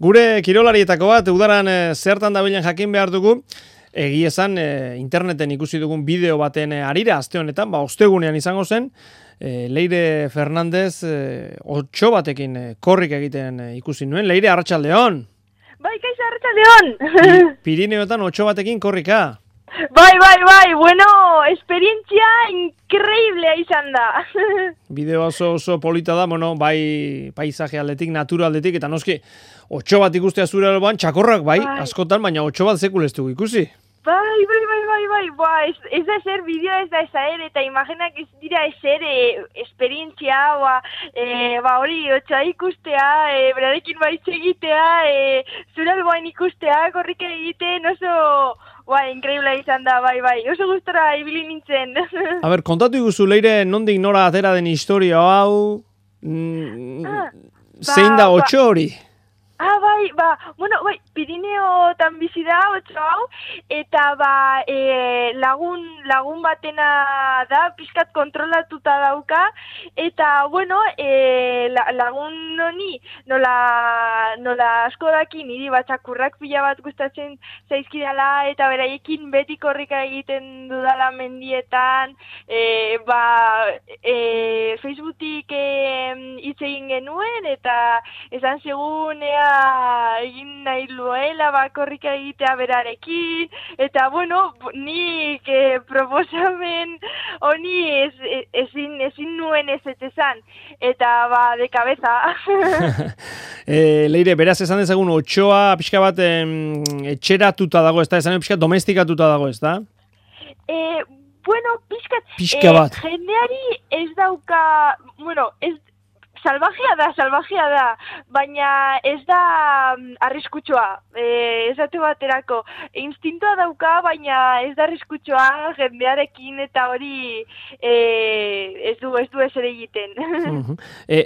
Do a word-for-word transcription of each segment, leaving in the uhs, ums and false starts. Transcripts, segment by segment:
Gure kirolarietako bat, udaran e, zertan dabilen jakin behar dugu, egi esan e, interneten ikusi dugun bideo baten e, arira, aste honetan, ba, ostegunean izango zen, e, Leire Fernandez e, otxo batekin e, korrik egiten e, ikusi nuen. Leire, arratsaldeon! Bai, kaixo, arratsaldeon! Pirineotan otxo batekin korrika. Bai, bai, bai, bueno, esperientzia increíblea izan da. Bideo oso oso polita da, bueno, bai paisaje aldetik, natura aldetik, eta noski, otxo bat ikustea zure alboan, txakorrak bai, bai, askotan, baina otxo bat zekulestu ikusi. Bai, bai, bai, bai, bai, ba, ez, ez da eser bideo ez da esaer, eta imaginak ez dira eser e, esperientzia, ba, e, ba, hori, otxoa ikustea, e, berarekin baiz egitea, e, zure alboan ikustea, korrika egiten, oso... Bai, increíble izan da, bai, bai. Oso gustora ibili nintzen. A ber, kontatu iguzu, Leire, nondik nora atera den historia hau, mm, ah, zein ba, da otxo hori? Ah, bai, ba, bueno, bai, Pirineotan bizi da otxo hau, eta ba, e, lagun, lagun batena da, pixkat kontrolatuta dauka, eta, bueno, e, la, lagun honi, nola, nola asko daki niri batxakurrak pila bat gustatzen zaizkidala, eta beraiekin beti korrika egiten dudala mendietan, e, ba, e, Facebooktik hitz e, egin genuen, eta esan segunea egin nahi luela bakorrika egitea berarekin, eta bueno, nik eh, proposamen honi ez, ezin, ezin nuen ez esan, eta ba, de cabeza. e, Leire, beraz esan dezagun otxoa pixka bat em, etxeratuta dago, ez da? Esan pixka domestikatuta dago, ez da? E, bueno, pixka, pixka bat. E, jendeari ez dauka, bueno, ez salvajea da, salvajea da, baina ez da arriskutsua, e, esate baterako. Instintoa dauka, baina ez da arriskutsua jendearekin eta hori e, ez du ez du ezer egiten. Uh-huh. e,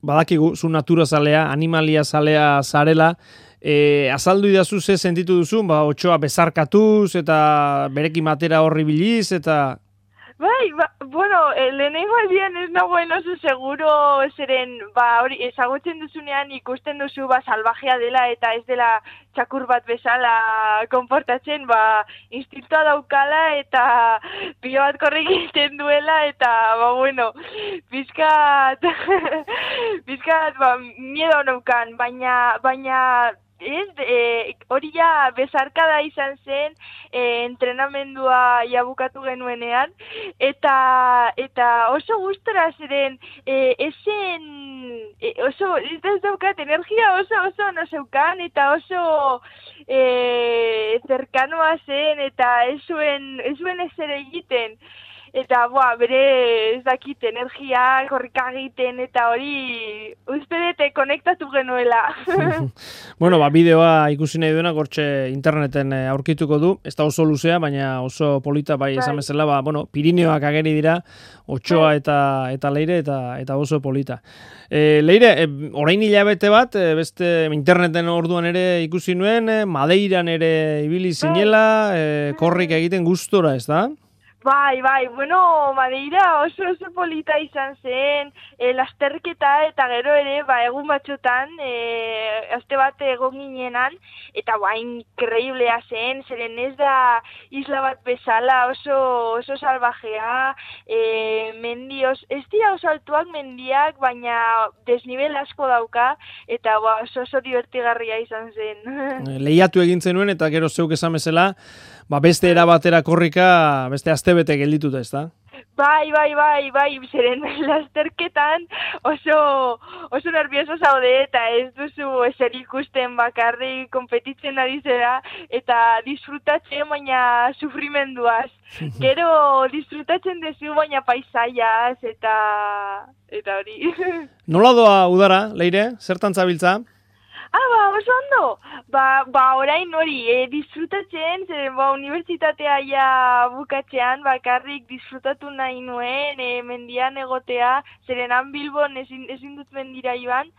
badakigu, zu natura zalea, animalia zalea zarela, e, azaldu idazu ze sentitu duzu, ba, otxoa bezarkatuz eta berekin batera horri biliz, eta... Bai, ba, bueno, lehenengo aldian ez nagoen oso seguro zeren, ba, hori, ezagutzen duzunean ikusten duzu, ba, salvajea dela eta ez dela txakur bat bezala konportatzen, ba, instintoa daukala eta pilo bat korrik egiten duela eta, ba, bueno, pizkat, pizkat, ba, miedo naukan, baina, baina, ez, e, hori ja bezarkada izan zen e, entrenamendua jabukatu genuenean eta eta oso gustora ziren e, esen e, oso ez da daukat energia oso oso no zeukan eta oso e, zerkanoa zen eta ez zuen ez zuen ezer egiten. Eta, boa, bere ez dakit energia, korrika egiten, eta hori uste dute konektatu genuela. Bueno, ba, bideoa ikusi nahi duena, gortxe interneten aurkituko du, ez da oso luzea, baina oso polita, bai, esan bezala, ba, bueno, Pirineoak ageri dira, otxoa eta, eta Leire, eta, eta oso polita. E, Leire, e, orain hilabete bat, e, beste interneten orduan ere ikusi nuen, e, Madeiran ere ibili zinela, e, korrik egiten gustora, ez da? Bai, bai, bueno, Madeira oso oso polita izan zen, e, lasterketa eta gero ere, ba, egun batxotan, e, aste bat egon ginenan, eta ba, increíblea zen, zeren ez da isla bat bezala, oso, oso salvajea, e, mendi, os, ez dira oso altuak mendiak, baina desnivel asko dauka, eta ba, oso oso divertigarria izan zen. Lehiatu egin zenuen, eta gero zeuk esan bezala, ba, beste erabatera korrika, beste astebete geldituta, ez da? Bai, bai, bai, bai, zeren lasterketan oso, oso nervioso zaude eta ez duzu ezer ikusten bakarrik konpetitzen ari zera eta disfrutatzen baina sufrimenduaz. Gero disfrutatzen duzu baina paisaiaz eta eta hori. Nola doa udara, Leire? Zertan zabiltza? Ah, ba, oso ondo. Ba, ba orain hori, e, disfrutatzen, zeren, ba, unibertsitatea ja bukatzean, bakarrik disfrutatu nahi nuen, e, mendian egotea, zeren han Bilbon ezin, ezin dut mendira joan,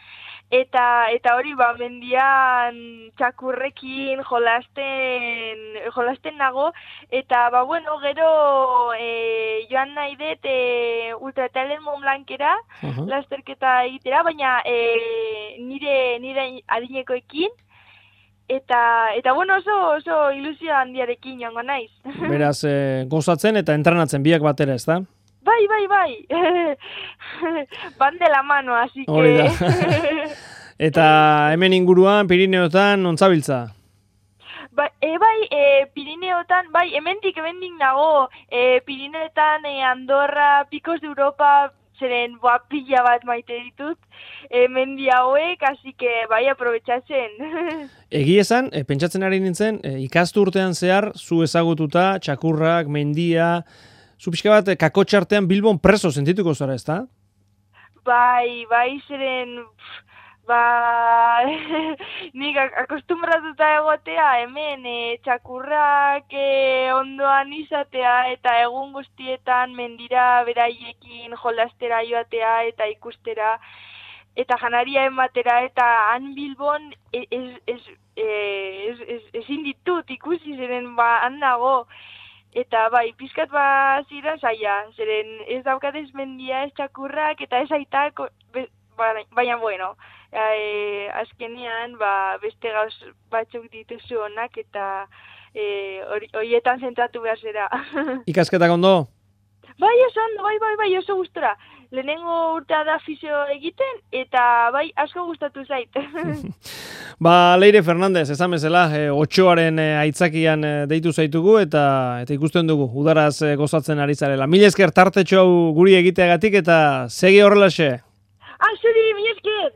eta eta hori, ba, mendian txakurrekin jolasten, jolasten nago, eta, ba, bueno, gero e, joan nahi dut e, ultratrail Mont Blancera, uh-huh. lasterketa egitera, baina e, nire, nire adinekoekin, eta, eta bueno, oso, oso ilusio handiarekin joango naiz. Beraz, e, gozatzen eta entrenatzen biak batera, ez da? Bai, bai, bai. Van de la mano, así que... Hori da. Eta hemen inguruan, Pirineotan, ontzabiltza? Ba, e, bai, e, Pirineotan, bai, hemendik, hemendik nago, e, Pirineotan, e, Andorra, Picos de Europa, zeren boa pila bat maite ditut, e, mendi hauek, así que bai, aprobetxatzen. Egi esan, e, pentsatzen ari nintzen, e, ikastu urtean zehar, zu ezagututa, txakurrak, mendia, zu pixka bat, e, kakotxartean Bilbon preso sentituko zara, ez da? Bai, bai, zeren... Ba, nik akostumbratuta egotea hemen e, txakurrak e, ondoan izatea eta egun guztietan mendira beraiekin jolastera joatea eta ikustera eta janaria ematera eta han Bilbon ez, ez, ez, ez, ezin ditut ikusi zeren ba han nago. Eta bai, pizkat ba zira saia, zeren ez daukatez mendia ez txakurrak eta ez aitak, baina bueno, e, azkenean ba, beste gauz batzuk dituzu onak eta horietan e, zentratu behar zera. Ikasketak ondo? Bai, oso ondo, bai, bai, bai, oso gustora. Lehenengo urtea da fisio egiten eta bai, asko gustatu zait. Ba, Leire Fernandez, esan bezala, e, otxoaren e, aitzakian e, deitu zaitugu eta eta ikusten dugu, udaraz e, gozatzen ari zarela. Mil esker tartetxo hau guri egiteagatik eta segi horrelaxe. Ah, zuri, mil esker!